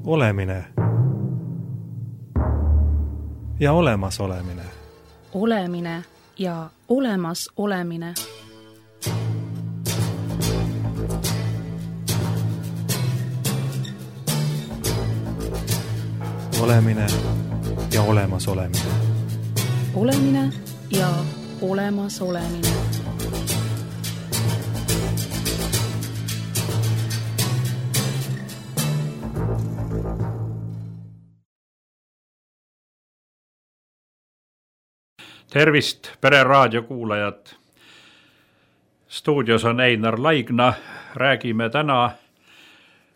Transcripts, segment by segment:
Olemine ja olemasolemine. Olemine ja olemasolemine. Olemine ja olemasolemine. Olemine ja olemasolemine. Tervist, Pereraadio kuulajad! Stuudios on Einar Laigna. Räägime täna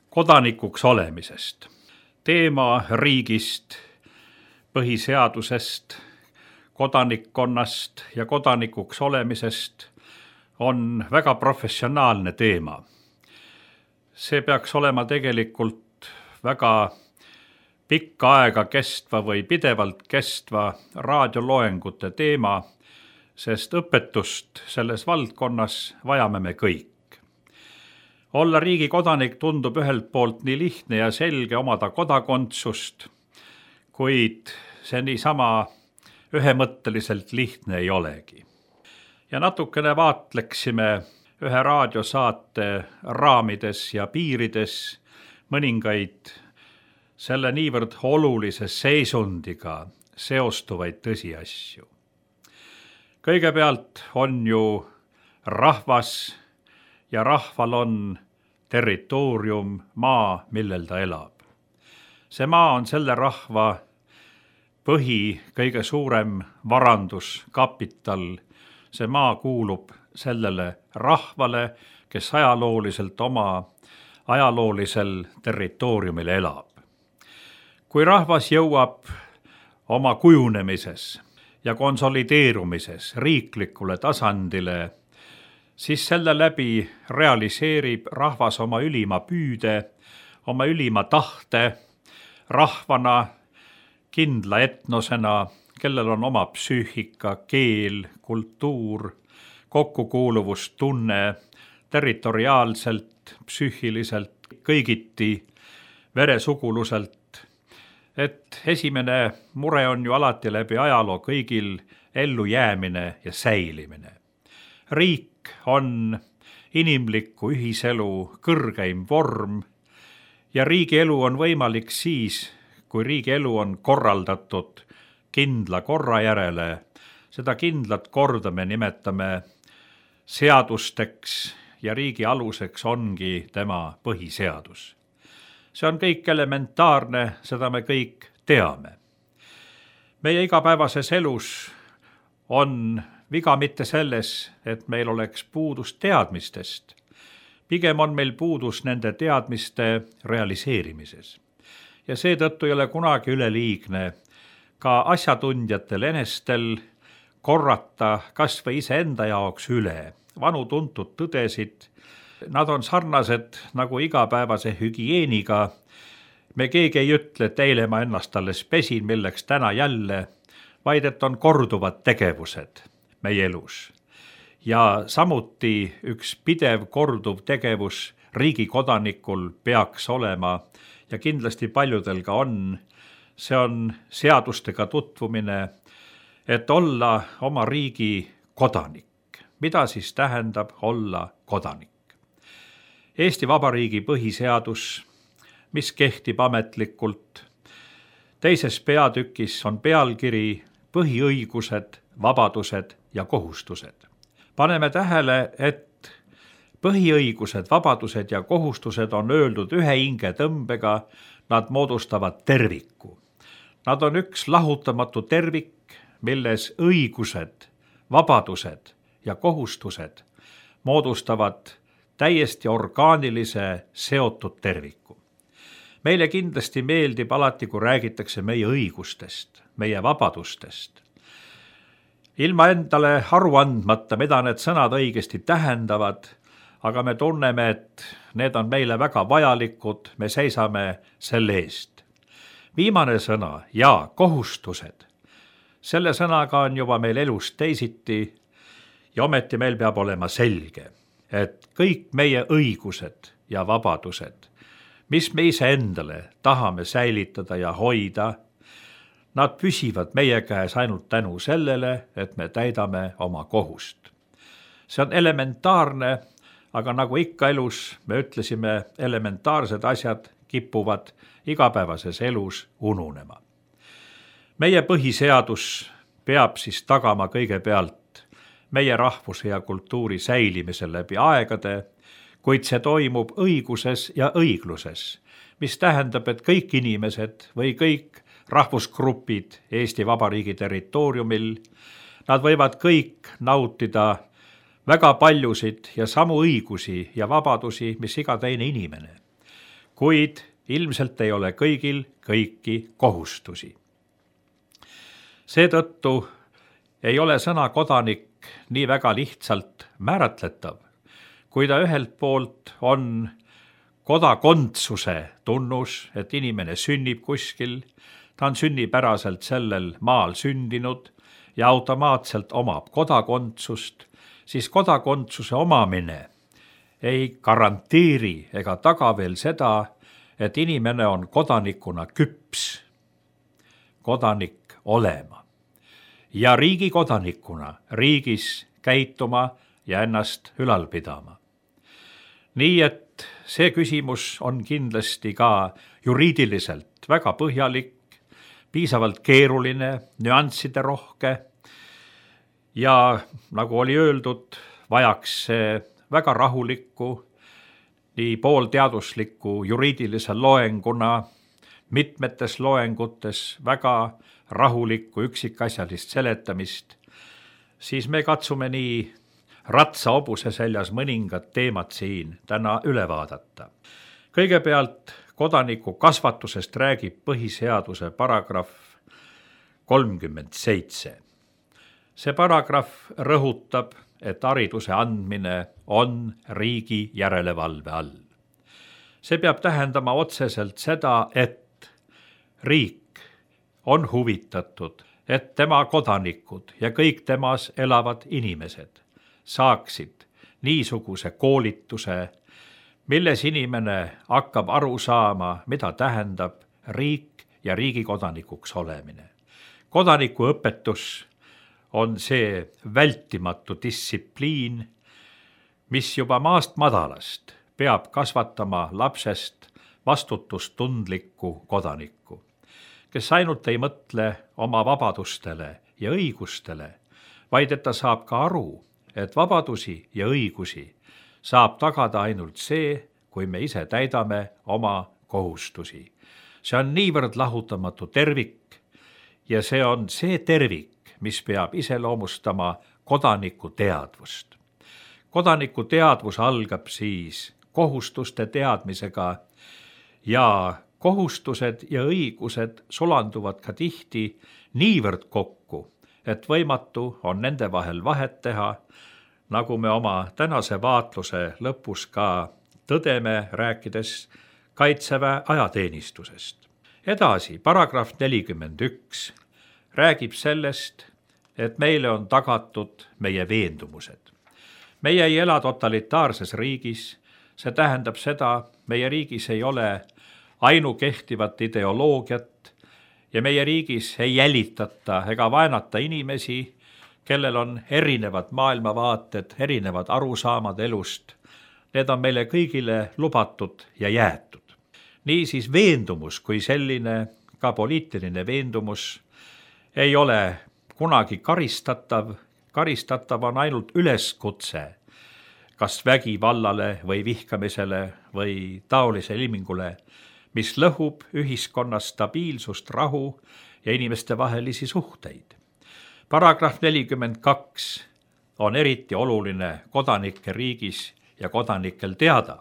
kodanikuks olemisest. Teema riigist, põhiseadusest, kodanikkonnast ja kodanikuks olemisest on väga professionaalne teema. See peaks olema tegelikult väga pikka aega kestva või pidevalt kestva raadioloengute teema, sest õpetust selles valdkonnas vajame me kõik. Olla riigi kodanik tundub ühelt poolt nii lihtne ja selge omada kodakondsust, kuid see niisama ühemõtteliselt lihtne ei olegi. Ja natukene vaatleksime ühe raadiosaate raamides ja piirides mõningaid selle niivõrd olulise seisundiga seostuvaid tõsiasju. Kõigepealt on ju rahvas ja rahval on territoorium, maa, millel ta elab. See maa on selle rahva kõige suurem varandus, kapital. See maa kuulub sellele rahvale, kes ajalooliselt oma ajaloolisel territooriumil elab. Kui rahvas jõuab oma kujunemises ja konsolideerumises riiklikule tasandile, siis selle läbi realiseerib rahvas oma ülima püüde, oma ülima tahte rahvana, kindla etnosena, kellel on oma psüühika, keel, kultuur, kokkukuuluvustunne, territoriaalselt, psüühiliselt, kõigiti, veresuguluselt. Et esimene mure on ju alati läbi ajaloo kõigil ellujäämine ja säilimine. Riik on inimliku ühiselu kõrgeim vorm ja riigi elu on võimalik siis, kui riigi elu on korraldatud kindla korra järele. Seda kindlat korda me nimetame seadusteks ja riigi aluseks ongi tema põhiseadus. See on kõik elementaarne, seda me kõik teame. Meie igapäevases elus on viga mitte selles, et meil oleks puudus teadmistest. Pigem on meil puudus nende teadmiste realiseerimises. Ja seetõttu ei ole kunagi üleliigne ka asjatundjatel enestel korrata kas või iseenda jaoks üle vanu tuntud tõdesid. Nad on sarnased nagu igapäevase hügieeniga. Me keegi ei ütle, et eile ma ennast alles pesin, milleks täna jälle, vaid et on korduvad tegevused meie elus. Ja samuti üks pidev korduv tegevus riigi kodanikul peaks olema ja kindlasti paljudel ka on. See on seadustega tutvumine, et olla oma riigi kodanik. Mida siis tähendab olla kodanik? Eesti Vabariigi põhiseadus, mis kehtib ametlikult. Teises peatükis on pealkiri põhiõigused, vabadused ja kohustused. Paneme tähele, et põhiõigused, vabadused ja kohustused on öeldud ühe hingetõmbega, nad moodustavad terviku. Nad on üks lahutamatu tervik, milles õigused, vabadused ja kohustused moodustavad täiesti orgaanilise seotud terviku. Meile kindlasti meeldib alati, kui räägitakse meie õigustest, meie vabadustest. Ilma endale aru andmata, mida need sõnad õigesti tähendavad, aga me tunneme, et need on meile väga vajalikud, me seisame selle eest. Viimane sõna ja kohustused. Selle sõnaga on juba meil elus teisiti ja ometi meil peab olema selge, et kõik meie õigused ja vabadused mis me iseendale tahame säilitada ja hoida, nad püsivad meie käes ainult tänu sellele, et me täidame oma kohust. See on elementaarne, aga nagu ikka elus, me ütlesime, elementaarsed asjad kipuvad igapäevases elus ununema. Meie põhiseadus peab siis tagama kõigepealt meie rahvuse ja kultuuri säilimise läbi aegade, kuid see toimub õiguses ja õigluses, mis tähendab, et kõik inimesed või kõik rahvusgrupid Eesti Vabariigi territooriumil, nad võivad kõik nautida väga paljusid ja samu õigusi ja vabadusi, mis iga teine inimene. Kuid ilmselt ei ole kõigil kõiki kohustusi. Seetõttu ei ole sõna kodanik nii väga lihtsalt määratletav, kui ta ühelt poolt on kodakondsuse tunnus, et inimene sünnib kuskil, ta on sünnipäraselt sellel maal sündinud ja automaatselt omab kodakondsust, siis kodakondsuse omamine ei garanteeri ega taga veel seda, et inimene on kodanikuna küps, kodanik olema ja riigi kodanikuna riigis käituma ja ennast ülal pidama. Nii et see küsimus on kindlasti ka juriidiliselt väga põhjalik, piisavalt keeruline, nüansside rohke ja nagu oli öeldud, vajaks see väga rahulikku, nii poolteaduslikku juriidilise loenguna, mitmetes loengutes väga rahulikku üksikasjalist seletamist, siis me katsume nii ratsa-hobuse seljas mõningad teemad siin täna üle vaadata. Kõigepealt kodaniku kasvatusest räägib põhiseaduse paragrahv 37. See paragrahv rõhutab, et hariduse andmine on riigi järelevalve all. See peab tähendama otseselt seda, et riik on huvitatud, et tema kodanikud ja kõik temas elavad inimesed saaksid niisuguse koolituse, milles inimene hakkab aru saama, mida tähendab riik ja riigi kodanikuks olemine. Kodanikuõpetus on see vältimatu distsipliin, mis juba maast madalast peab kasvatama lapsest vastutustundlikku kodanikku, kes ainult ei mõtle oma vabadustele ja õigustele, vaid et ta saab ka aru, et vabadusi ja õigusi saab tagada ainult see, kui me ise täidame oma kohustusi. See on niivõrd lahutamatu tervik ja see on see tervik, mis peab iseloomustama kodaniku teadvust. Kodaniku teadvus algab siis kohustuste teadmisega ja kohustused ja õigused sulanduvad ka tihti niivõrd kokku, et võimatu on nende vahel vahet teha, nagu me oma tänase vaatluse lõpus ka tõdeme, rääkides Kaitseväe ajateenistusest. Edasi, paragrahv 41 räägib sellest, et meile on tagatud meie veendumused. Meie ei ela totalitaarses riigis, see tähendab seda, meie riigis ei ole ainukehtivat ideoloogiat ja meie riigis ei jälitata ega vaenata inimesi, kellel on erinevad maailmavaated, erinevad arusaamad elust. Need on meile kõigile lubatud ja jäetud. Niisiis veendumus kui selline, ka poliitiline veendumus, ei ole kunagi karistatav. Karistatav on ainult üleskutse, kas vägivallale või vihkamisele või taolise ilmingule, mis lõhub ühiskonnas stabiilsust, rahu ja inimeste vahelisi suhteid. Paragrahv 42 on eriti oluline kodanike riigis ja kodanikel teada.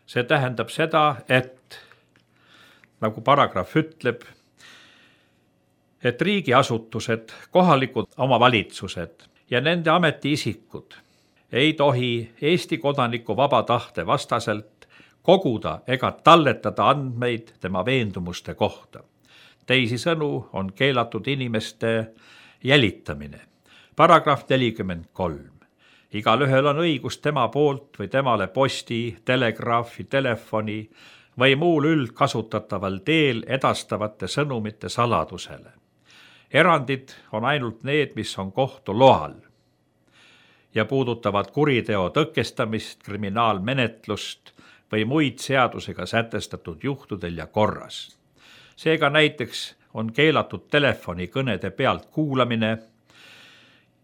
See tähendab seda, et nagu paragrahv ütleb, et riigiasutused, kohalikud omavalitsused ja nende ametiisikud ei tohi Eesti kodaniku vaba tahte vastaselt koguda ega talletada andmeid tema veendumuste kohta. Teisisõnu on keelatud inimeste jälitamine. Paragrahv 43. Igalühel on õigus tema poolt või temale posti, telegraafi, telefoni või muul üldkasutataval teel edastavate sõnumite saladusele. Erandid on ainult need, mis on kohtu loal ja puudutavad kuriteo tõkestamist, kriminaalmenetlust või muid seadusega sätestatud juhtudel ja korras. Seega näiteks on keelatud telefonikõnede pealt kuulamine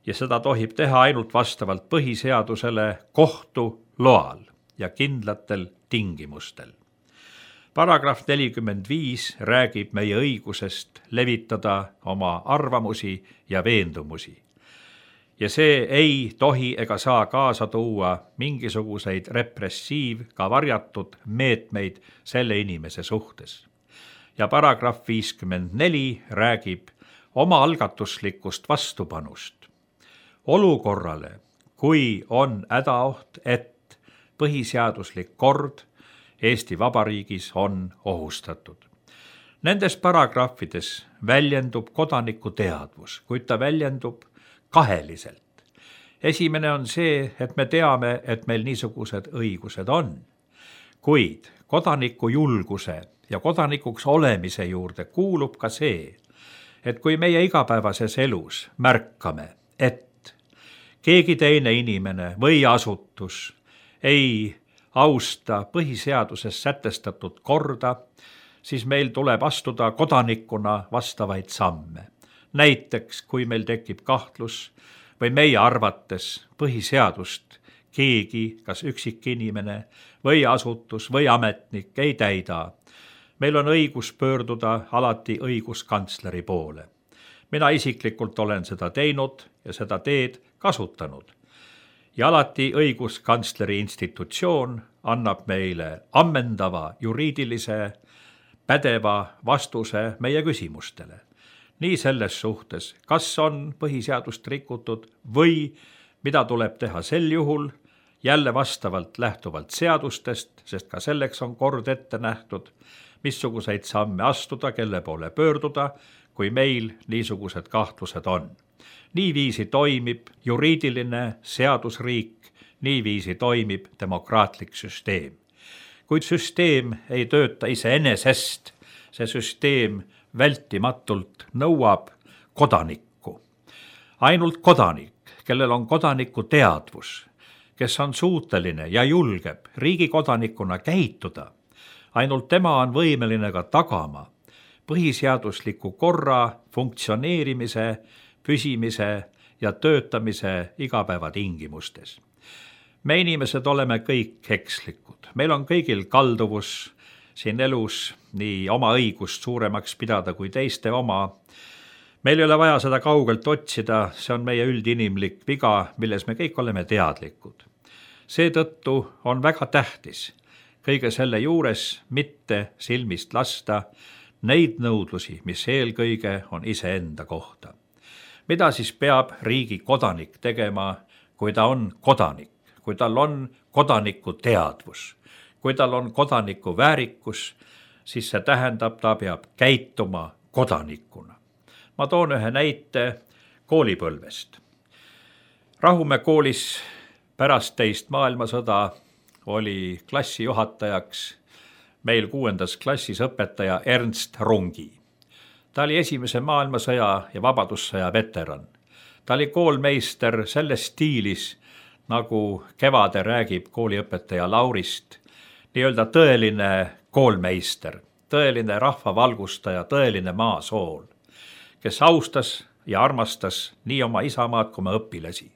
ja seda tohib teha ainult vastavalt põhiseadusele kohtu loal ja kindlatel tingimustel. Paragrahv 45 räägib meie õigusest levitada oma arvamusi ja veendumusi. Ja see ei tohi ega saa kaasa tuua mingisuguseid ka varjatud meetmeid selle inimese suhtes. Ja paragrahv 54 räägib omaalgatuslikust vastupanust olukorrale, kui on hädaoht, et põhiseaduslik kord Eesti Vabariigis on ohustatud. Nendes paragrahvides väljendub kodaniku teadvus, kuid ta väljendub kaheliselt. Esimene on see, et me teame, et meil niisugused õigused on, kuid kodaniku julguse ja kodanikuks olemise juurde kuulub ka see, et kui meie igapäevases elus märkame, et keegi teine inimene või asutus ei austa põhiseaduses sätestatud korda, siis meil tuleb astuda kodanikuna vastavaid samme. Näiteks, kui meil tekib kahtlus või meie arvates põhiseadust keegi, kas üksikinimene või asutus või ametnik ei täida, meil on õigus pöörduda alati õiguskantsleri poole. Mina isiklikult olen seda teinud ja seda teed kasutanud. Ja alati õiguskantsleri institutsioon annab meile ammendava juriidilise pädeva vastuse meie küsimustele. Nii selles suhtes, kas on põhiseadust rikutud või mida tuleb teha sel juhul, jälle vastavalt lähtuvalt seadustest, sest ka selleks on kord ette nähtud, missuguseid samme astuda, kelle poole pöörduda, kui meil niisugused kahtlused on. Niiviisi toimib juriidiline seadusriik, niiviisi toimib demokraatlik süsteem. Kuid süsteem ei tööta iseenesest, see süsteem vältimatult nõuab kodanikku. Ainult kodanik, kellel on kodaniku teadvus, kes on suuteline ja julgeb riigi kodanikuna käituda, ainult tema on võimeline ka tagama põhiseadusliku korra funktsioneerimise, püsimise ja töötamise igapäevatingimustes. Me inimesed oleme kõik ekslikud. Meil on kõigil kalduvus siin elus nii oma õigust suuremaks pidada kui teiste oma. Meil ei ole vaja seda kaugelt otsida, see on meie üldinimlik viga, milles me kõik oleme teadlikud. Seetõttu on väga tähtis kõige selle juures mitte silmist lasta neid nõudlusi, mis eelkõige on iseenda kohta. Mida siis peab riigi kodanik tegema, kui ta on kodanik, kui tal on kodaniku teadvus, kui tal on kodaniku väärikus, siis see tähendab, ta peab käituma kodanikuna. Ma toon ühe näite koolipõlvest. Rahumäe koolis pärast teist maailmasõda oli klassijuhatajaks meil 6. klassis õpetaja Ernst Rungi. Ta oli esimese maailmasõja ja vabadussõja veteran. Ta oli koolmeister selles stiilis, nagu Kevade räägib kooliõpetaja Laurist, nii-öelda tõeline koolmeister, tõeline rahvavalgustaja, tõeline maasool, kes austas ja armastas nii oma isamaad kui oma õpilasi.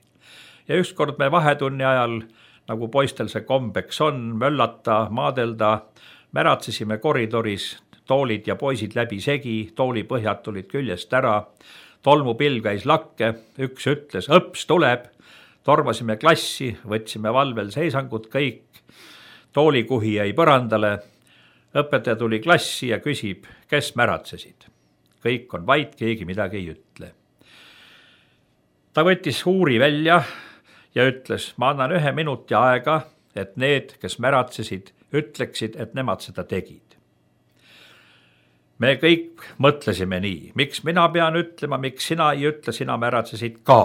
Ja ükskord me vahetunni ajal, nagu poistel see kombeks on, möllata, maadelda, märatsesime koridoris, toolid ja poisid läbi segi, toolipõhjad tulid küljest ära, tolmupilv käis lakke, üks ütles, õps tuleb, tormasime klassi, võtsime valvel seisangut kõik, toolikuhi jäi põrandale, õpetaja tuli klassi ja küsib, kes märatsesid. Kõik on vait, keegi midagi ei ütle. Ta võttis huuri välja ja ütles, ma annan 1 minuti aega, et need, kes märatsesid, ütleksid, et nemad seda tegid. Me kõik mõtlesime nii, miks mina pean ütlema, miks sina ei ütle, sina märatsesid ka.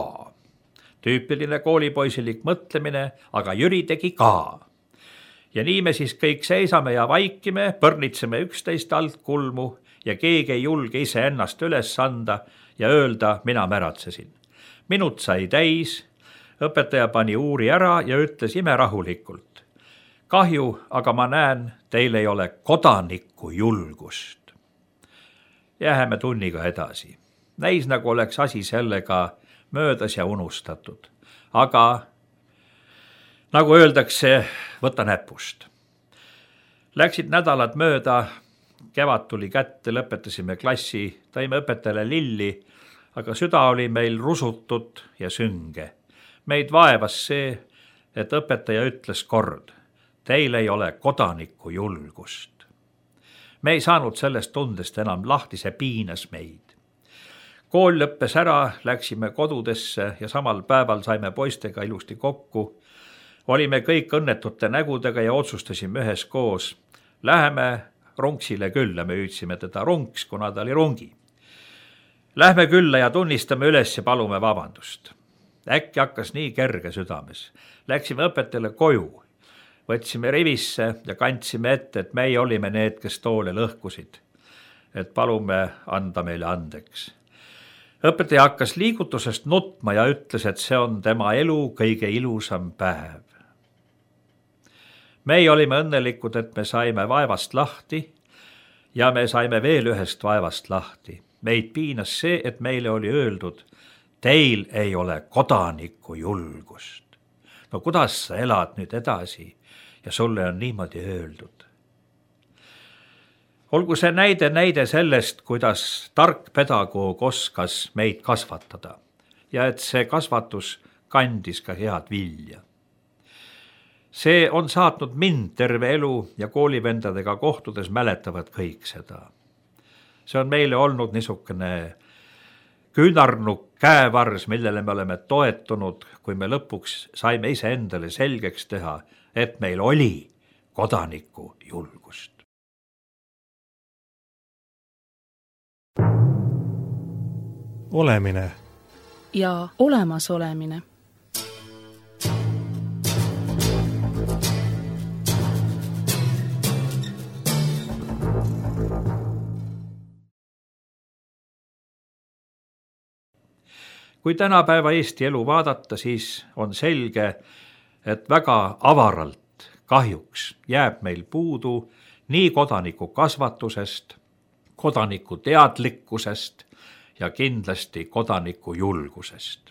Tüüpiline koolipoisilik mõtlemine, aga Jüri tegi ka. ja nii me siis kõik seisame ja vaikime, põrnitseme üksteist alt kulmu ja keegi ei julge iseennast üles anda ja öelda, mina märatsesin. Minut sai täis, õpetaja pani uuri ära ja ütles imerahulikult. Kahju, aga ma näen, teil ei ole kodaniku julgust. Jääme tunniga edasi. Näis nagu oleks asi sellega möödas ja unustatud. Aga nagu öeldakse, võta näpust. Läksid nädalad mööda, kevad tuli kätte, lõpetasime klassi, tõime õpetajale lilli, aga süda oli meil rusutud ja sünge. Meid vaevas see, et õpetaja ütles kord, teil ei ole kodaniku julgust. Me ei saanud sellest tundest enam lahti, see piinas meid. Kool lõppes ära, läksime kodudesse ja samal päeval saime poistega ilusti kokku. Olime kõik õnnetute nägudega ja otsustasime üheskoos. Läheme Runksile külla, me hüüdsime teda Runks, kuna ta oli rungi. Lähme külla ja tunnistame üles ja palume vabandust. Äkki hakkas nii kerge südames. Läksime õpetajale koju. Võtsime rivisse ja kandsime ette, et meie olime need, kes toole lõhkusid. Et palume anda meile andeks. Õpetaja hakkas liigutusest nutma ja ütles, et see on tema elu kõige ilusam päev. Meie olime õnnelikud, et me saime vaevast lahti ja me saime veel ühest vaevast lahti. Meid piinas see, et meile oli öeldud, teil ei ole kodaniku julgust. No kuidas sa elad nüüd edasi ja sulle on niimoodi öeldud? Olgu see näide sellest, kuidas tark pedagoog oskas meid kasvatada ja et see kasvatus kandis ka head vilja. See on saatnud mind terve elu ja koolivendadega kohtudes mäletavad kõik seda. See on meile olnud niisugune küünarnuk käevars, millele me oleme toetunud, kui me lõpuks saime ise endale selgeks teha, et meil oli kodaniku julgust. Olemine ja olemasolemine. Kui tänapäeva Eesti elu vaadata, siis on selge, et väga avaralt kahjuks jääb meil puudu nii kodaniku kasvatusest, kodaniku teadlikkusest ja kindlasti kodaniku julgusest.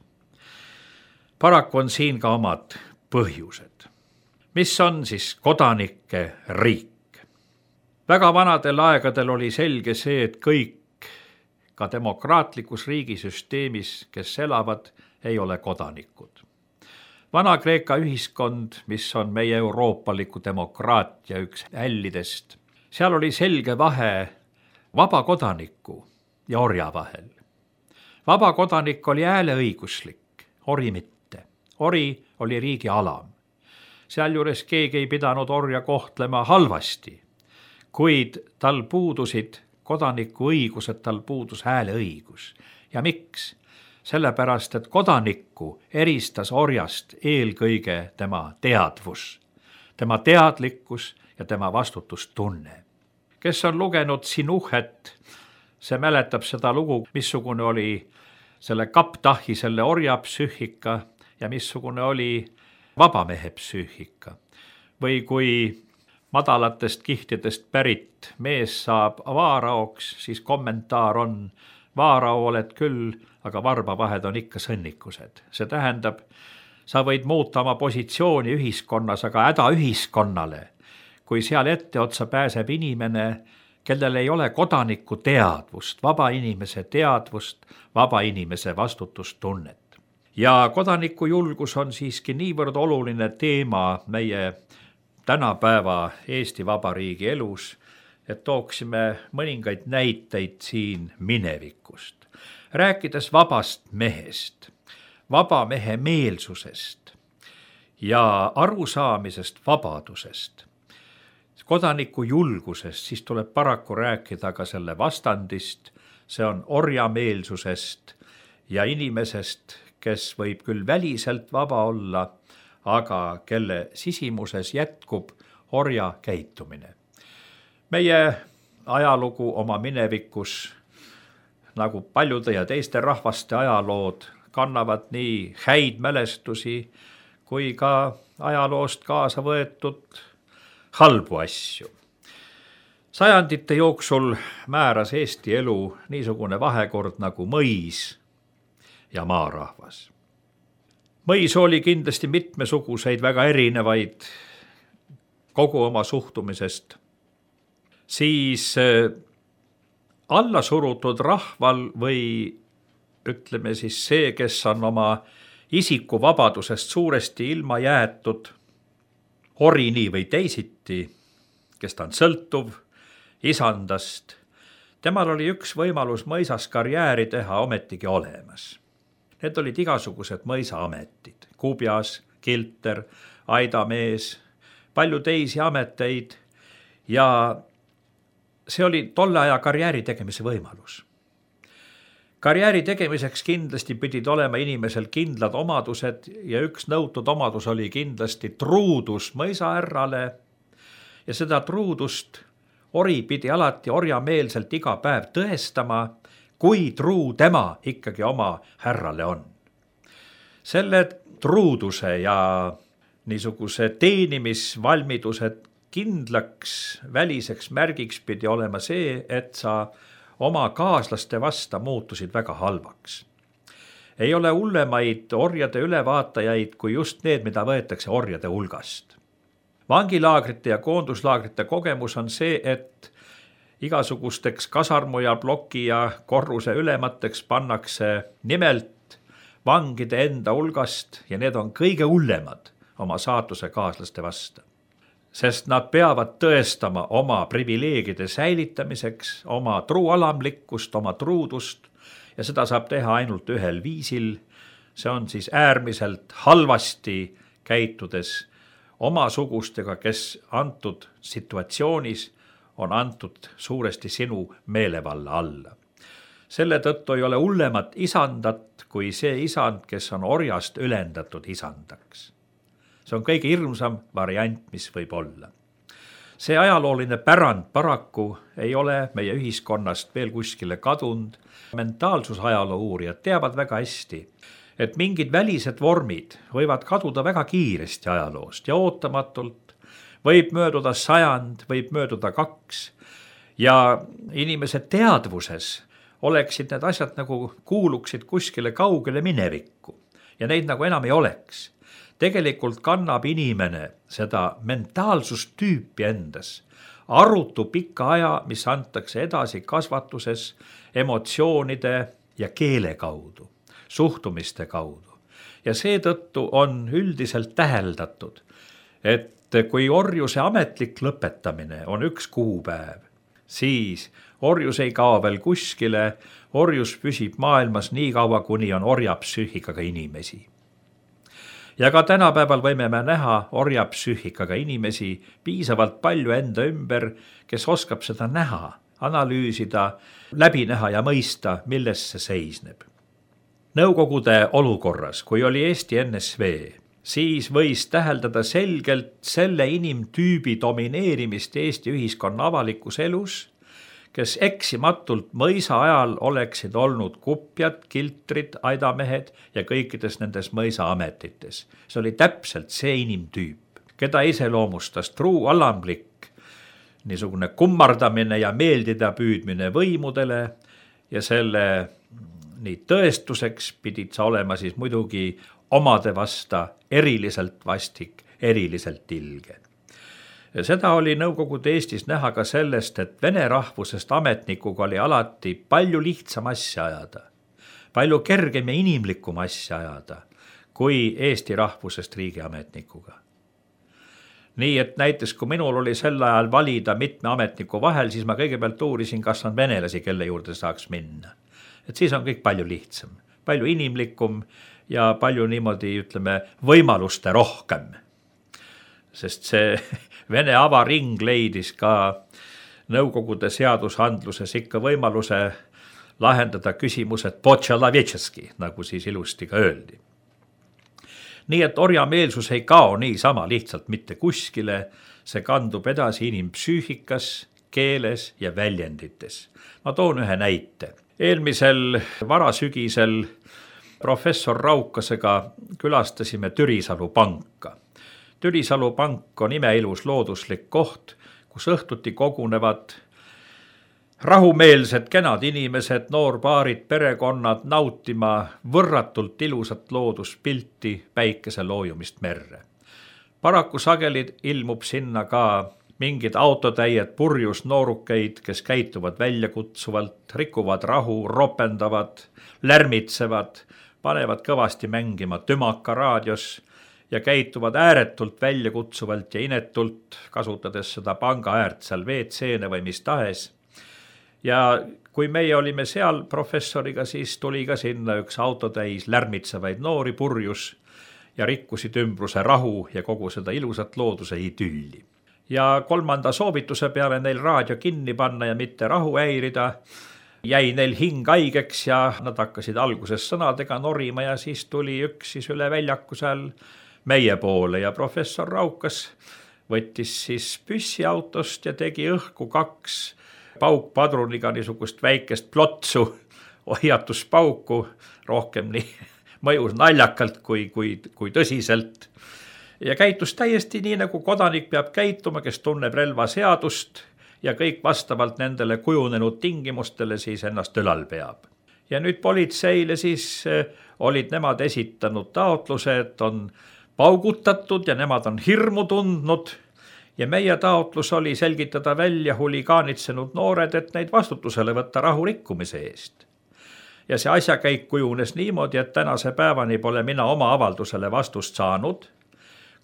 Paraku on siin ka omad põhjused. Mis on siis kodanike riik? Väga vanadel aegadel oli selge see, et kõik ka demokraatlikus riigisüsteemis, kes elavad, ei ole kodanikud. Vana-Kreeka ühiskond, mis on meie euroopaliku demokraatia üks hällidest, seal oli selge vahe vaba kodaniku ja orja vahel. Vaba kodanik oli hääleõiguslik, ori mitte. Ori oli riigi alam. Sealjuures keegi ei pidanud orja kohtlema halvasti, kuid tal puudusid kodaniku õigused, tal puudus hääleõigus. Ja miks? Sellepärast, et kodanikku eristas orjast eelkõige tema teadvus, tema teadlikkus ja tema vastutustunne. Kes on lugenud Sinuhet, see mäletab seda lugu, missugune oli selle kaptahi, selle orja psüühika ja missugune oli vabamehe psüühika. Või kui madalatest kihtidest pärit mees saab vaaraoks, siis kommentaar on, vaarao oled küll, aga varbavahed on ikka sõnnikused. See tähendab, sa võid muuta oma positsiooni ühiskonnas, aga häda ühiskonnale, kui seal etteotsa pääseb inimene, kellel ei ole kodaniku teadvust, vaba inimese teadvust, vaba inimese vastutustunnet. Ja kodaniku julgus on siiski niivõrd oluline teema meie tänapäeva Eesti Vabariigi elus, et tooksime mõningaid näiteid siin minevikust. Rääkides vabast mehest, vaba mehe meelsusest ja arusaamisest vabadusest, kodaniku julgusest, siis tuleb paraku rääkida ka selle vastandist, see on orjameelsusest ja inimesest, kes võib küll väliselt vaba olla, aga kelle sisimuses jätkub orja käitumine. Meie ajalugu oma minevikus, nagu paljude ja teiste rahvaste ajalood, kannavad nii häid mälestusi kui ka ajaloost kaasa võetud halbu asju. Sajandite jooksul määras Eesti elu niisugune vahekord nagu mõis ja maarahvas. Mõis oli kindlasti mitmesuguseid, väga erinevaid kogu oma suhtumisest. Siis allasurutud rahval või ütleme siis see, kes on oma isikuvabadusest suuresti ilma jäetud, ori nii või teisiti, kes ta on sõltuv isandast, temal oli üks võimalus mõisas karjääri teha ometigi olemas. Need olid igasugused mõisaametid, kubjas, kilter, aidamees, palju teisi ameteid ja see oli tolle aja karjääri tegemise võimalus. Karjääri tegemiseks kindlasti pidid olema inimesel kindlad omadused ja üks nõutud omadus oli kindlasti truudus mõisaärrale ja seda truudust ori pidi alati orjameelselt iga päev tõestama, kui truu tema ikkagi oma härrale on. Selle truuduse ja niisuguse teenimisvalmiduse kindlaks väliseks märgiks pidi olema see, et sa oma kaaslaste vasta muutusid väga halvaks. Ei ole hullemaid orjade ülevaatajaid kui just need, mida võetakse orjade hulgast. Vangilaagrite ja koonduslaagrite kogemus on see, et igasugusteks kasarmu ja ploki ja korruse ülemateks pannakse nimelt vangide enda hulgast ja need on kõige hullemad oma saatuse kaaslaste vasta. Sest nad peavad tõestama oma privileegide säilitamiseks, oma truualamlikkust, oma truudust ja seda saab teha ainult ühel viisil. See on siis äärmiselt halvasti käitudes omasugustega, kes antud situatsioonis on antud suuresti sinu meelevalla alla. Selle tõttu ei ole hullemat isandat kui see isand, kes on orjast ülendatud isandaks. See on kõige hirmsam variant, mis võib olla. See ajalooline pärand paraku ei ole meie ühiskonnast veel kuskile kadunud. Mentaalsusajaloo uurijad teavad väga hästi, et mingid välised vormid võivad kaduda väga kiiresti ajaloost ja ootamatult. Võib mööduda 100, võib mööduda 2 ja inimese teadvuses oleksid need asjad nagu kuuluksid kuskile kaugele minevikku ja neid nagu enam ei oleks. Tegelikult kannab inimene seda mentaalsustüüpi endas, arutu pika aja, mis antakse edasi kasvatuses emotsioonide ja keele kaudu, suhtumiste kaudu. Ja seetõttu on üldiselt täheldatud, et kui orjuse ametlik lõpetamine on 1 kuupäev, siis orjus ei kao veel kuskile, orjus püsib maailmas nii kaua, kuni on orjapsüühikaga inimesi. Ja ka tänapäeval võime me näha orjapsüühikaga inimesi piisavalt palju enda ümber, kes oskab seda näha, analüüsida, läbi näha ja mõista, milles see seisneb. Nõukogude olukorras, kui oli Eesti NSV, siis võis täheldada selgelt selle inimtüübi domineerimist Eesti ühiskonna avalikus elus, kes eksimatult mõisa ajal oleksid olnud kupjad, kiltrid, aidamehed ja kõikides nendes mõisa ametites. See oli täpselt see inimtüüp, keda iseloomustas truu alamlik, niisugune kummardamine ja meeldida püüdmine võimudele ja selle nii tõestuseks pidid sa olema siis muidugi omade vasta eriliselt vastik, eriliselt ilge. Ja seda oli Nõukogude Eestis näha ka sellest, et vene rahvusest ametnikuga oli alati palju lihtsam asja ajada, palju kergem ja inimlikum asja ajada, kui Eesti rahvusest riigiametnikuga. Nii et näiteks, kui minul oli sel ajal valida mitme ametniku vahel, siis ma kõigepealt uurisin, kas on venelasi, kelle juurde saaks minna. Et siis on kõik palju lihtsam, palju inimlikum ja palju niimoodi, ütleme, võimaluste rohkem. Sest see Vene avaring leidis ka Nõukogude seadusandluses ikka võimaluse lahendada küsimused po-tšalavetšeski, nagu siis ilusti ka öeldi. Nii et orjameelsus ei kao niisama lihtsalt mitte kuskile, see kandub edasi inimpsüühikas, keeles ja väljendites. Ma toon ühe näite. Eelmisel varasügisel professor Raukasega külastasime Türisalu panka. Türisalu pank on imeilus looduslik koht, kus õhtuti kogunevad rahumeelsed kenad inimesed, noorpaarid, perekonnad nautima võrratult ilusat looduspilti päikese loojumist merre. Paraku sageli ilmub sinna ka mingid autotäied purjus noorukeid, kes käituvad väljakutsuvalt, rikuvad rahu, ropendavad, lärmitsevad, panevad kõvasti mängima tümaka raadios ja käituvad ääretult väljakutsuvalt ja inetult, kasutades seda panga äärt seal WC-ne või mis tahes. Ja kui meie olime seal professoriga, siis tuli ka sinna üks autotäis lärmitsevaid noori purjus ja rikkusid ümbruse rahu ja kogu seda ilusat looduse idülli. Ja 3. soovituse peale neil raadio kinni panna ja mitte rahu häirida, jäi neil hing haigeks ja nad hakkasid alguses sõnadega norima ja siis tuli üks siis üle väljaku seal meie poole ja professor Raukas võttis siis püssi autost ja tegi õhku 2 paukpadruniga niisugust väikest plotsu, hoiatuspauku, rohkem nii mõjus naljakalt kui tõsiselt. Ja käitus täiesti nii, nagu kodanik peab käituma, kes tunneb relvaseadust ja kõik vastavalt nendele kujunenud tingimustele siis ennast ülal peab. Ja nüüd politseile siis olid nemad esitanud taotluse, et on paugutatud ja nemad on hirmu tundnud ja meie taotlus oli selgitada välja huligaanitsenud noored, et neid vastutusele võtta rahu rikkumise eest. Ja see asjakäik kujunes niimoodi, et tänase päevani pole mina oma avaldusele vastust saanud,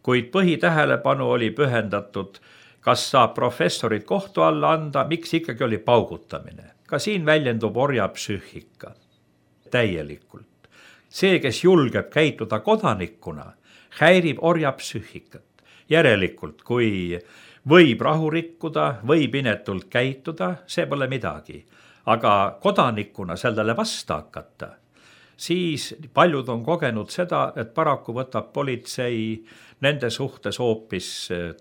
kuid põhitähelepanu oli pühendatud, kas saab professorid kohtu alla anda, miks ikkagi oli paugutamine. Ka siin väljendub orjapsüühika täielikult. See, kes julgeb käituda kodanikuna, häirib orjapsüühikat. Järelikult, kui võib rahu rikkuda, võib inetult käituda, see pole midagi. Aga kodanikuna sellele vasta hakata, siis paljud on kogenud seda, et paraku võtab politsei nende suhtes hoopis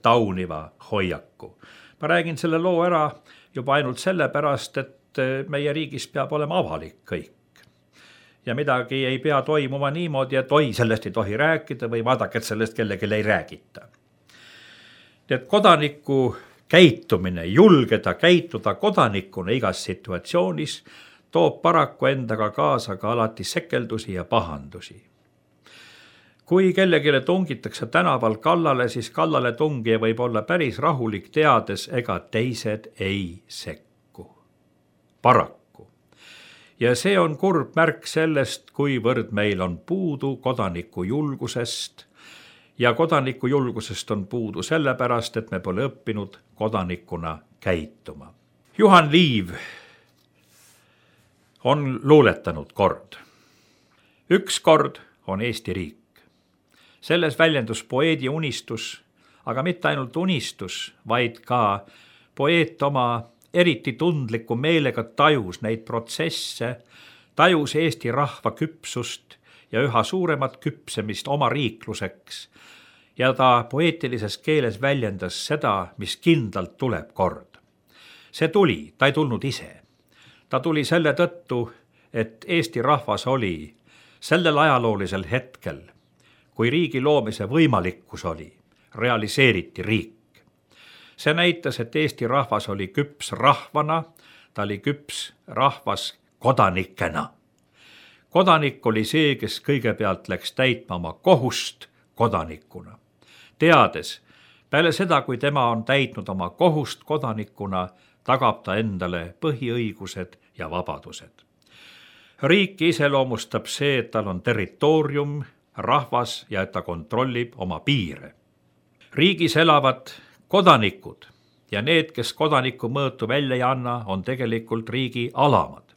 tauniva hoiaku. Ma räägin selle loo ära juba ainult sellepärast, et meie riigis peab olema avalik kõik. Ja midagi ei pea toimuma niimoodi, et sellest ei tohi rääkida või vaadake, et sellest kellelegi ei räägita. Et kodaniku käitumine, julgeda käituda kodanikuna igas situatsioonis, toob paraku endaga kaasa ka alati sekeldusi ja pahandusi. Kui kellegile tungitakse tänaval kallale, siis kallale tungija võib olla päris rahulik, teades ega teised ei sekku. Paraku. Ja see on kurb märk sellest, kuivõrd meil on puudu kodaniku julgusest ja kodaniku julgusest on puudu sellepärast, et me pole õppinud kodanikuna käituma. Juhan Liiv on luuletanud kord. Üks kord on Eesti riik. Selles väljendus poeedi unistus, aga mitte ainult unistus, vaid ka poeet oma eriti tundliku meelega tajus neid protsesse, tajus Eesti rahva küpsust ja üha suuremat küpsemist oma riikluseks. Ja ta poeetilises keeles väljendas seda, mis kindlalt tuleb kord. See tuli, ta ei tulnud ise. Ta tuli selle tõttu, et Eesti rahvas oli sellel ajaloolisel hetkel, kui riigi loomise võimalikkus oli, realiseeriti riik. See näitas, et Eesti rahvas oli küps rahvana, ta oli küps rahvas kodanikena. Kodanik oli see, kes kõigepealt läks täitma oma kohust kodanikuna. Teades, peale seda, kui tema on täitnud oma kohust kodanikuna, tagab ta endale põhiõigused ja vabadused. Riiki iseloomustab see, et tal on territoorium, rahvas ja et ta kontrollib oma piire. Riigis elavad kodanikud ja need, kes kodaniku mõõtu välja ei anna, on tegelikult riigi alamad.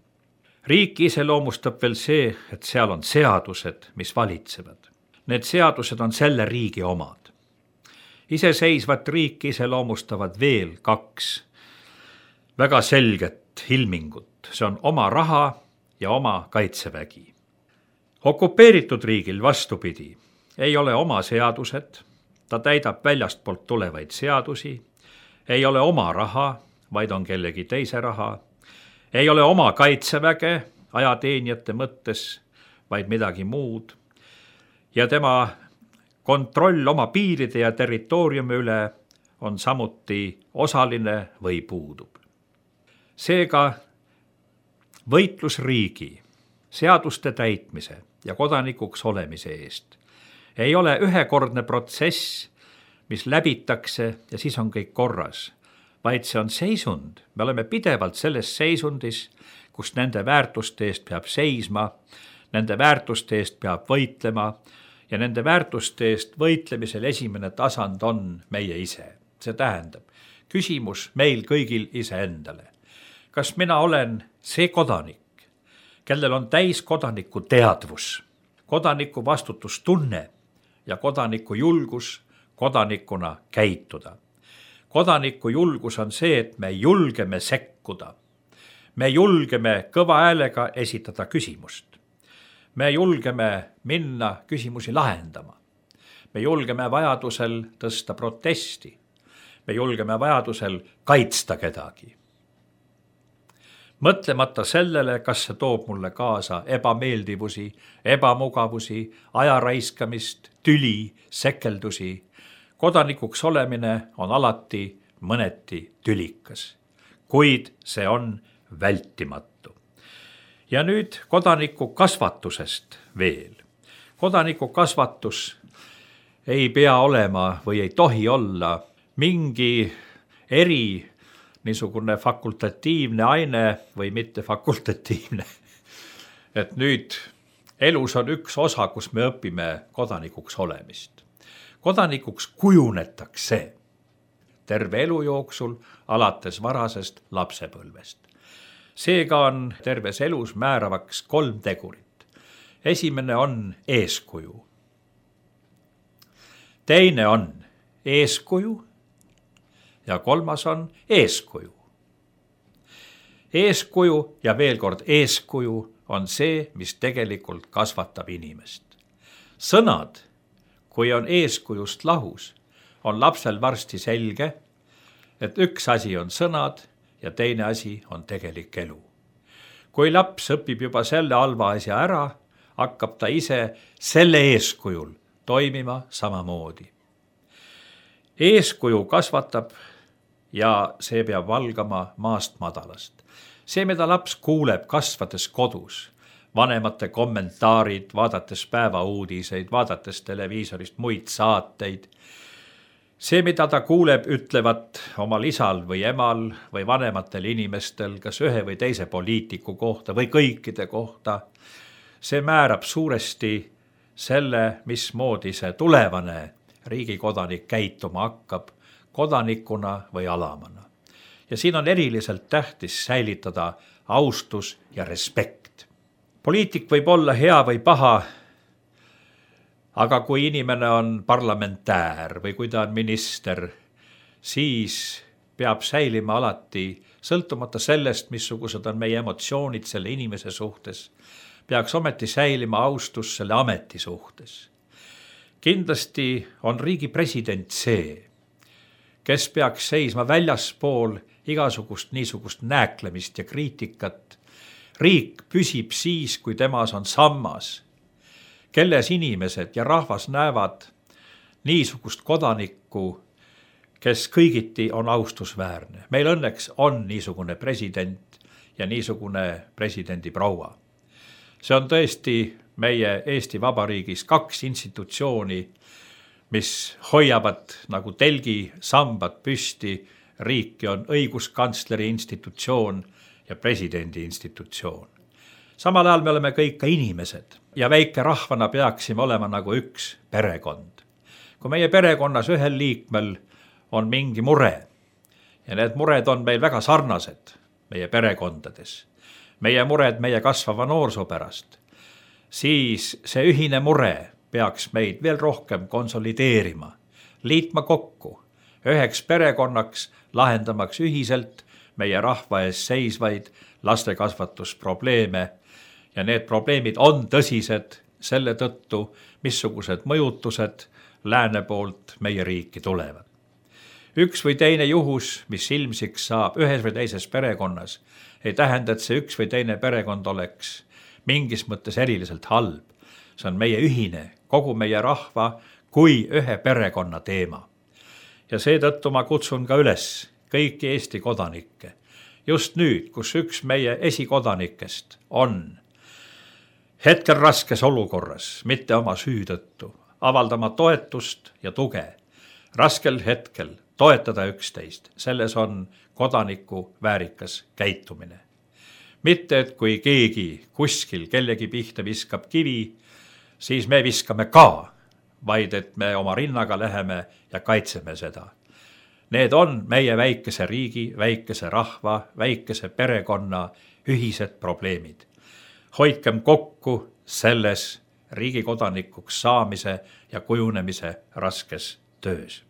Riiki iseloomustab veel see, et seal on seadused, mis valitsevad. Need seadused on selle riigi omad. Iseseisvat riiki iseloomustavad veel 2 väga selget ilmingut. See on oma raha ja oma kaitsevägi. Okupeeritud riigil vastupidi ei ole oma seadused, ta täidab väljastpoolt tulevaid seadusi, ei ole oma raha, vaid on kellegi teise raha, ei ole oma kaitseväge ajateenijate mõttes, vaid midagi muud, ja tema kontroll oma piiride ja territooriumi üle on samuti osaline või puudub. Seega võitlus riigi, seaduste täitmise ja kodanikuks olemise eest ei ole ühekordne protsess, mis läbitakse ja siis on kõik korras, vaid see on seisund. Me oleme pidevalt selles seisundis, kus nende väärtuste eest peab seisma, nende väärtuste eest peab võitlema ja nende väärtuste eest võitlemisel esimene tasand on meie ise. See tähendab, küsimus meil kõigil iseendale. Kas mina olen see kodanik, kellel on täis kodaniku teadvus, kodaniku vastutustunne ja kodaniku julgus kodanikuna käituda. Kodaniku julgus on see, et me julgeme sekkuda. Me julgeme kõva häälega esitada küsimust. Me julgeme minna küsimusi lahendama. Me julgeme vajadusel tõsta protesti. Me julgeme vajadusel kaitsta kedagi. Mõtlemata sellele, kas see toob mulle kaasa ebameeldivusi, ebamugavusi, aja raiskamist, tüli, sekeldusi. Kodanikuks olemine on alati mõneti tülikas, kuid see on vältimatu. Ja nüüd kodaniku kasvatusest veel. Kodaniku kasvatus ei pea olema või ei tohi olla mingi niisugune fakultatiivne aine või mitte fakultatiivne. Et nüüd elus on üks osa, kus me õpime kodanikuks olemist. Kodanikuks kujunetakse terve elu jooksul alates varasest lapsepõlvest. Seega on terves elus määravaks 3 tegurit. Esimene on eeskuju. Teine on eeskuju ja 3. on eeskuju. Eeskuju ja veel kord eeskuju on see, mis tegelikult kasvatab inimest. Sõnad, kui on eeskujust lahus, on lapsel varsti selge, et üks asi on sõnad ja teine asi on tegelik elu. Kui laps õpib juba selle halva asja ära, hakkab ta ise selle eeskujul toimima samamoodi. Eeskuju kasvatab ja see peab valgama maast madalast. See, mida laps kuuleb kasvades kodus, vanemate kommentaarid, vaadates päevauudiseid, vaadates televiisorist muid saateid, see, mida ta kuuleb, ütlevat omal isal või emal või vanematel inimestel, kas ühe või teise poliitiku kohta või kõikide kohta, see määrab suuresti selle, mismoodi see tulevane riigikodanik käituma hakkab, kodanikuna või alamana. Ja siin on eriliselt tähtis säilitada austus ja respekt. Poliitik võib olla hea või paha, aga kui inimene on parlamentäär või kui ta on minister, siis peab säilima alati, sõltumata sellest, missugused on meie emotsioonid selle inimese suhtes, peaks ometi säilima austus selle ameti suhtes. Kindlasti on riigi president see, kes peaks seisma väljaspool igasugust niisugust nääklemist ja kriitikat. Riik püsib siis, kui temas on sammas, kelles inimesed ja rahvas näevad niisugust kodanikku, kes kõigiti on austusväärne. Meil õnneks on niisugune president ja niisugune presidendi proua. See on tõesti meie Eesti Vabariigis 2 institutsiooni, mis hoiavad nagu telgi sambad püsti. Riiki on õiguskantsleri institutsioon ja presidendi institutsioon. Samal ajal me oleme kõik ka inimesed ja väike rahvana peaksime olema nagu üks perekond. Kui meie perekonnas ühel liikmel on mingi mure ja need mured on meil väga sarnased meie perekondades, meie mured meie kasvava noorsoo pärast, siis see ühine mure peaks meid veel rohkem konsolideerima, liitma kokku üheks perekonnaks, lahendamaks ühiselt meie rahva ees seisvaid lastekasvatusprobleeme ja need probleemid on tõsised selle tõttu, missugused mõjutused lääne poolt meie riiki tulevad. Üks või teine juhus, mis ilmsiks saab ühes või teises perekonnas, ei tähenda, et see üks või teine perekond oleks mingis mõttes eriliselt halb. See on meie ühine, kogu meie rahva kui ühe perekonna teema. Ja seetõttu ma kutsun ka üles kõiki Eesti kodanikke. Just nüüd, kus üks meie esikodanikest on hetkel raskes olukorras, mitte oma süü tõttu, avaldama toetust ja tuge. Raskel hetkel toetada üksteist, selles on kodaniku väärikas käitumine. Mitte, et kui keegi kuskil kellegi pihta viskab kivi, siis me viskame ka, vaid et me oma rinnaga läheme ja kaitseme seda. Need on meie väikese riigi, väikese rahva, väikese perekonna ühised probleemid. Hoidkem kokku selles riigi kodanikuks saamise ja kujunemise raskes töös.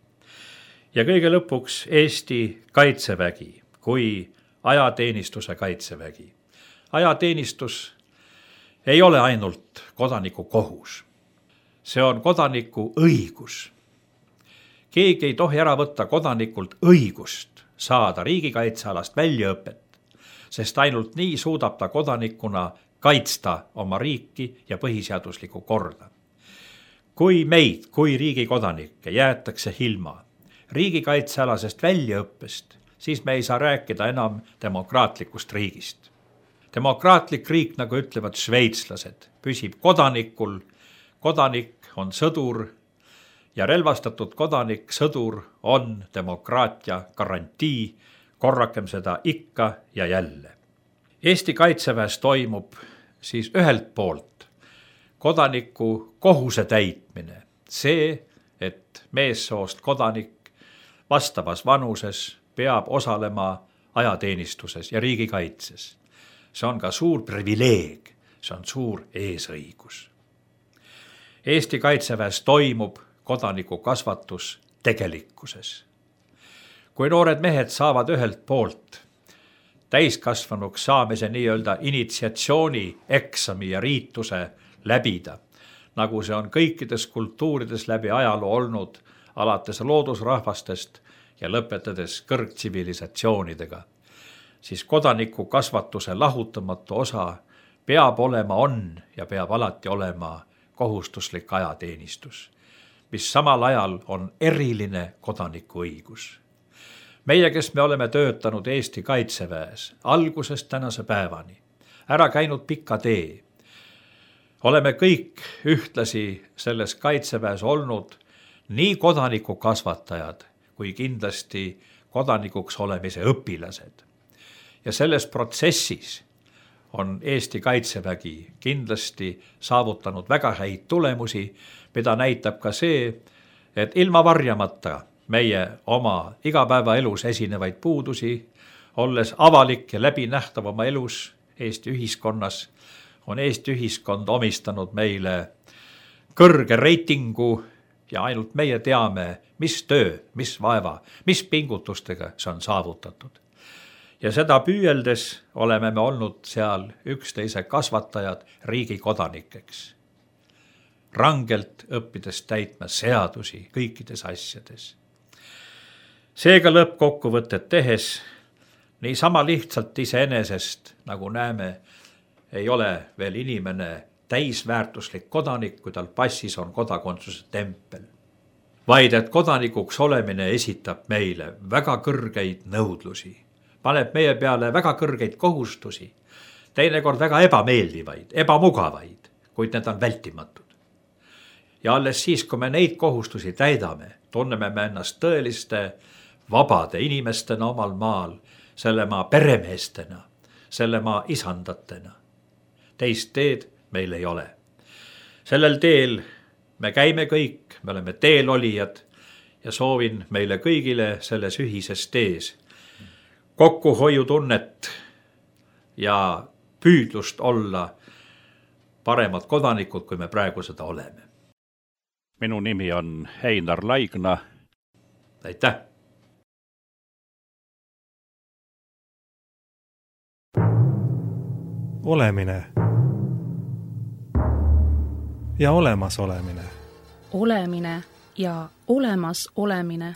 Ja kõige lõpuks Eesti kaitsevägi kui ajateenistuse kaitsevägi. Ajateenistus ei ole ainult kodaniku kohus. See on kodaniku õigus. Keegi ei tohi ära võtta kodanikult õigust saada riigikaitsealast väljaõpet, sest ainult nii suudab ta kodanikuna kaitsta oma riiki ja põhiseaduslikku korda. Kui meid, kui riigi kodanikke jäetakse ilma riigikaitsealasest väljaõppest, siis me ei saa rääkida enam demokraatlikust riigist. Demokraatlik riik, nagu ütlevad šveitslased, püsib kodanikul. Kodanik on sõdur ja relvastatud kodanik, sõdur on demokraatia garantii. Korrakem seda ikka ja jälle. Eesti kaitseväes toimub siis ühelt poolt kodaniku kohuse täitmine. See, et meessoost kodanik vastavas vanuses peab osalema ajateenistuses ja riigikaitses. See on ka suur privileeg, see on suur eesõigus. Eesti kaitseväes toimub kodaniku kasvatus tegelikkuses. Kui noored mehed saavad ühelt poolt täiskasvanuks saamise nii-öelda initsiatsiooni eksami ja riituse läbida, nagu see on kõikides kultuurides läbi ajaloo olnud, alates loodusrahvastest ja lõpetades kõrgtsivilisatsioonidega, siis kodaniku kasvatuse lahutamatu osa peab olema, on ja peab alati olema kohustuslik ajateenistus, mis samal ajal on eriline kodanikuõigus. Meie, kes me oleme töötanud Eesti kaitseväes algusest tänase päevani, ära käinud pika tee, oleme kõik ühtlasi selles kaitseväes olnud nii kodaniku kasvatajad kui kindlasti kodanikuks olemise õpilased. Ja selles protsessis on Eesti kaitsevägi kindlasti saavutanud väga häid tulemusi, mida näitab ka see, et ilma varjamata meie oma igapäevaelus esinevaid puudusi, olles avalik ja läbinähtav oma elus Eesti ühiskonnas, on Eesti ühiskond omistanud meile kõrge reitingu ja ainult meie teame, mis töö, mis vaeva, mis pingutustega see on saavutatud. Ja seda püüeldes oleme me olnud seal üksteise kasvatajad riigi kodanikeks. Rangelt õppides täitma seadusi kõikides asjades. Seega lõppkokkuvõtted tehes, nii sama lihtsalt iseenesest, nagu näeme, ei ole veel inimene täisväärtuslik kodanik, kui tal passis on kodakondsuse tempel. Vaid et kodanikuks olemine esitab meile väga kõrgeid nõudlusi, paneb meie peale väga kõrgeid kohustusi, teinekord väga ebameeldivaid, ebamugavaid, kuid need on vältimatud. Ja alles siis, kui me neid kohustusi täidame, tunneme me ennast tõeliste vabade inimestena omal maal, selle maa peremeestena, selle maa isandatena. Teist teed meil ei ole. Sellel teel me käime kõik, me oleme teelolijad ja soovin meile kõigile selles ühises tees kokkuhoiutunnet ja püüdlust olla paremad kodanikud, kui me praegu seda oleme. Minu nimi on Einar Laigna. Aitäh! Olemine ja olemasolemine. Olemine ja olemas olemine.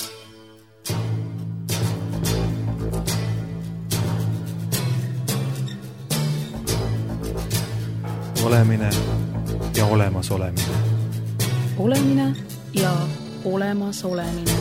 Olemine ja olemas olemine. Olemine ja olemas olemine.